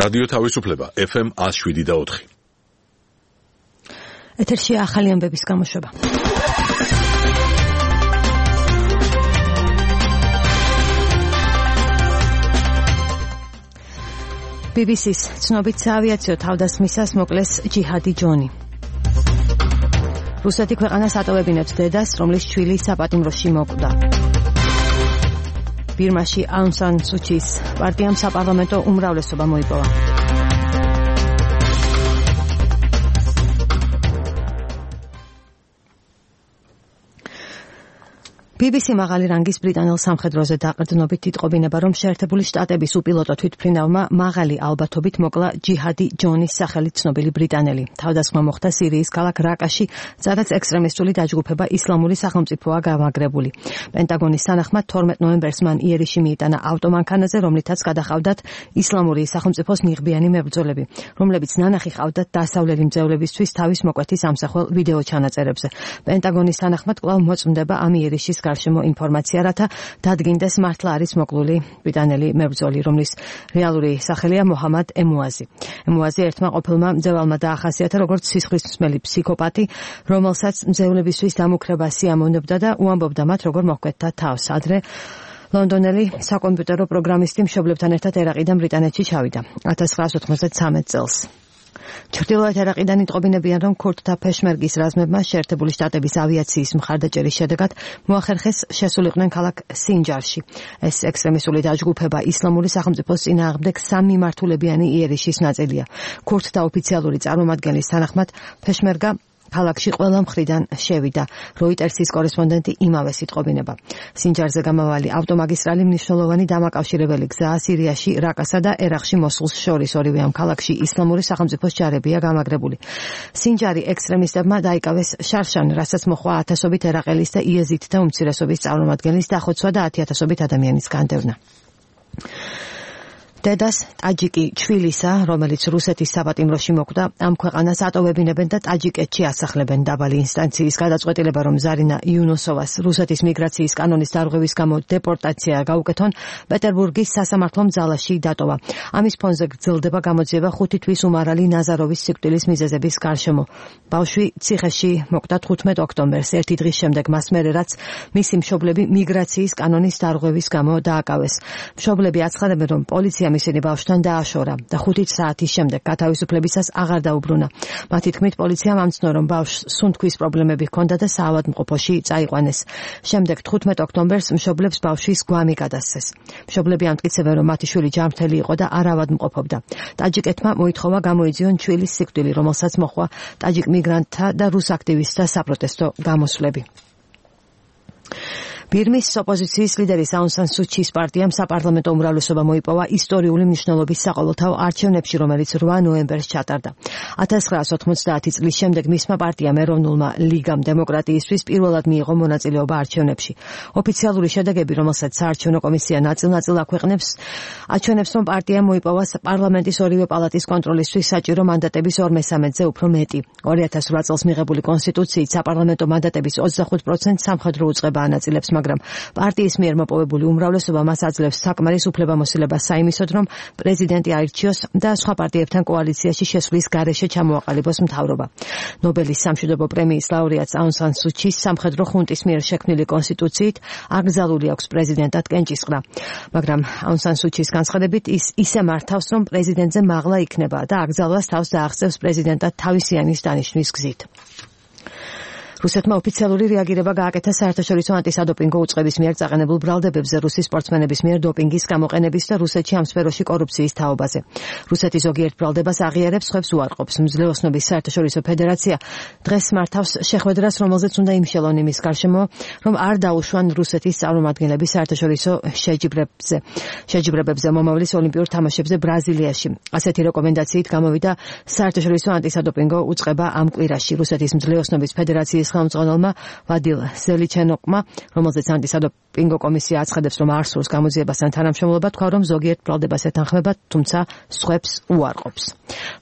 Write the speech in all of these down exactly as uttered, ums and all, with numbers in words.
რადიო თავისუფლება F M one oh seven და four. ეთერში ახალი ამბების გამოშვება. B B C-ს ცნობით საავიაციო თავდასხმისას მოკლეს ჯიჰადი ჯონი. რუსეთი ქვეყანას ატოვებინებს დედას, რომლის შვილი საპატიმროში მოკვდა. ბირმაში აუნ სან სუ ჩის პარტიამ საპარლამენტო უმრავლესობა მოიპოვა. B B C მაღალი რანგის ბრიტანელ სამხედროზე დაყრდნობით იტყობინება, რომ შეერთებული შტატების უპილოტო თვითმფრინავმა მაღალი ალბათობით მოკლა ჯიჰადი ჯონის სახელით ცნობილი ბრიტანელი. თავდასხმა მოხდა სირიის ქალაქ რაკაში, სადაც ექსტრემისტული დაჯგუფება ისლამური სახელმწიფოა გამაგრებული. პენტაგონის თანახმად თორმეტ ნოემბერს მან იერიში მიიტანა ავტომანქანაზე, რომლითაც გადაჰყავდათ ისლამური სახელმწიფოს ნიღბიანი მებრძოლები, რომლებიც ნანახი ჰყავდათ დასავლელი მძევლებისთვის თავის მოკვეთის ამსახველ ვიდეო ჩანაწერებზე. პენტაგონის თანახმად კვლავ მოწმდება ამ იერიშის გარშემო ინფორმაცია, რათა დადგინდეს მართლა არის მოკლული ბრიტანელი მებრძოლი, რომლის რეალური სახელია მოჰამად ემუაზი. ემუაზი ერთმა ყოფილმა მძევალმა დაახასიათა როგორც სისხლისმცემელი ფსიქოპატი, რომელსაც მძევლებისთვის დამუქრება სიამოვნებდა და უამბობდა მათ როგორ მოჰკვეთდა თავს. ადრე ლონდონელი საკომპიუტერო პროგრამისტი მშობლებთან ერთად ერაყიდან ბრიტანეთში ჩავიდა one thousand nine hundred ninety-three წელს. ჩრდილოეთ ერაყიდან იტყობინებიან, რომ ქურდთა ფეშმერგის რაზმებმა შეერთებული შტატების ავიაციის მხარდაჭერის შედეგად მოახერხეს შესულიყვნენ ქალაქ სინჯარში. ეს ექსტრემისტული დაჯგუფება ისლამური სახელმწიფოს წინააღმდეგ სამმიმართულებიანი იერიშის ნაწილია. ქურდთა ოფიციალური წარმომადგენლის თანახმად ფეშმერგა ქალაქში ყველა მხრიდან შევიდა. როიტერსის კორესპონდენტი იმავეს იტყობინება. სინჯარზე გამავალი ავტომაგისტრალი მნიშვნელოვანი დამაკავშირებელი გზაა სირიაში, რაკასა და ერაყში მოსულს შორის. ორივე ამ ქალაქში ისლამური სახელმწიფოს ჯარებია გამაგრებული. სინჯარი ექსტრემისტებმა დაიკავეს შარშან, რასაც მოჰყვა ათასობით ერაყელის და იეზიდთა უმცირესობის წარმომადგენლის დახოცვა და ათი ათასობით ადამიანის განდევნა. დედას ტაჯიკი ჩვილისა, რომელიც რუსეთის საპატიმროში მოკვდა, ამ ქვეყანას ატოვებინებენ და ტაჯიკეთში ასახლებენ. დაბალი ინსტანციის გადაწყვეტილება, რომ ზარინა იუნოსოვას რუსეთის მიგრაციის კანონის დარღვევის გამო დეპორტაცია გაუკეთონ, პეტერბურგის სასამართლომ ძალაში დატოვა. ამის ფონზე გრძელდება გამოძიება ხუთი თვის უმარალი ნაზაროვის სიკვდილის მიზეზების გარშემო. ბავშვი ციხეში მოკვდა თხუთმეტ ოქტომბერს, ერთი დღის შემდეგ მას მერე, რაც მისი მშობლები მიგრაციის კანონის დარღვევის გამო დააკავეს. მშობლები აცხადებენ, რომ პოლიცია ისინი ბავშვთან დააშორა და ხუთი საათის შემდეგ გათავისუფლებისას აღარ დაუბრუნა. მათი თქმით, პოლიციამ ამცნო, რომ ბავშვს სუნთქვის პრობლემები ჰქონდა და საავადმყოფოში წაიყვანეს. შემდეგ თხუთმეტ ოქტომბერს მშობლებს ბავშვის გვამი გადასცეს. მშობლები ამტკიცებენ, რომ მათი შვილი ჯანმრთელი იყო და არ ავადმყოფობდა. ტაჯიკეთმა მოითხოვა გამოიძიონ ჩვილის სიკვდილი, რომელსაც მოჰყვა ტაჯიკ მიგრანტთა და რუს აქტივისტთა საპროტესტო გამოსვლები. ბირმის ოპოზიციის ლიდერის აუნ სან სუ ჩის პარტიამ საპარლამენტო უმრავლესობა მოიპოვა ისტორიული მნიშვნელობის საყოველთაო არჩევნებში, რომელიც რვა ნოემბერს ჩატარდა. one thousand nine hundred ninety წლის შემდეგ მისმა პარტიამ ეროვნულმა ლიგამ დემოკრატიისთვის პირველად მიიღო მონაწილეობა არჩევნებში. ოფიციალური შედეგები, რომელსაც საარჩევნო კომისია ნაწილ-ნაწილ აქვეყნებს, აჩვენებს, რომ პარტიამ მოიპოვა პარლამენტის ორივე პალატის კონტროლისთვის საჭირო მანდატების ორ მესამედზე უფრო მეტი. two thousand eight წელს მიღებული კონსტიტუციით საპარლამენტო მანდატების ოცდახუთ პროცენტს სამხედრო უწყება ანაწილებს, მაგრამ პარტიის მიერ მოპოვებული უმრავლესობა მას აძლევს საკმარის უფლებამოსილებას საიმისოდ, რომ პრეზიდენტი აირჩიოს და სხვა პარტიებთან კოალიციაში შესვლის გარეშე ჩამოაყალიბოს მთავრობა. ნობელის სამშვიდობო პრემიის ლაურეატს აუნ სან სუ ჩის სამხედრო ხუნტის მიერ შექმნილი კონსტიტუციით აკრძალული აქვს პრეზიდენტად კენჭისყრა. მაგრამ აუნ სან სუ ჩის განცხადებით ის ისე მართავს, რომ პრეზიდენტზე მაღლა იქნება და აკრძალვას თავს დაახსევს პრეზიდენტად თავისიანის დანიშვნის გზით. რუსეთმა ოფიციალური რეაგირება გააკეთა საერთაშორისო ანტისადოპინგო უწყების მიერ წაყენებულ ბრალდებებზე რუსი სპორტსმენების მიერ დოპინგის გამოყენების და რუსეთში ამ სფეროში კორუფციის თაობაზე. რუსეთი ზოგიერთ ბრალდებას აღიარებს, სხვებს უარყოფს. მძლეოსნობის საერთაშორისო ფედერაცია დღეს მართავს შეხვედრას, რომელზეც უნდა იმშელონ იმის გარშემო, რომ არ დაუშვან რუსეთის წარმომადგენლები საერთაშორისო შეჯიბრებებზე. შეჯიბრებებზე მომავლის ოლიმპიურ თამაშებზე ბრაზილიაში. ასეთი რეკომენდაციით გამოვიდა საერთაშორისო ანტისადოპინგო უწყება ამ კვირაში. რუსეთის მძლეოსნობის ფედერაციის ხელმძღვანელმა ვადილ ზელიჩენოკმა, რომელზეც ანტისადოპინგო კომისია აცხადებს, რომ არ სურს გამოძიებასთან თანამშრომლობა, თქვა, რომ ზოგიერთ ბრალდებას ეთანხმება, თუმცა სხვებს უარყოფს.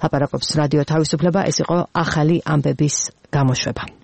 ლაპარაკობს რადიო თავისუფლება, ეს იყო ახალი ამბების გამოშვება.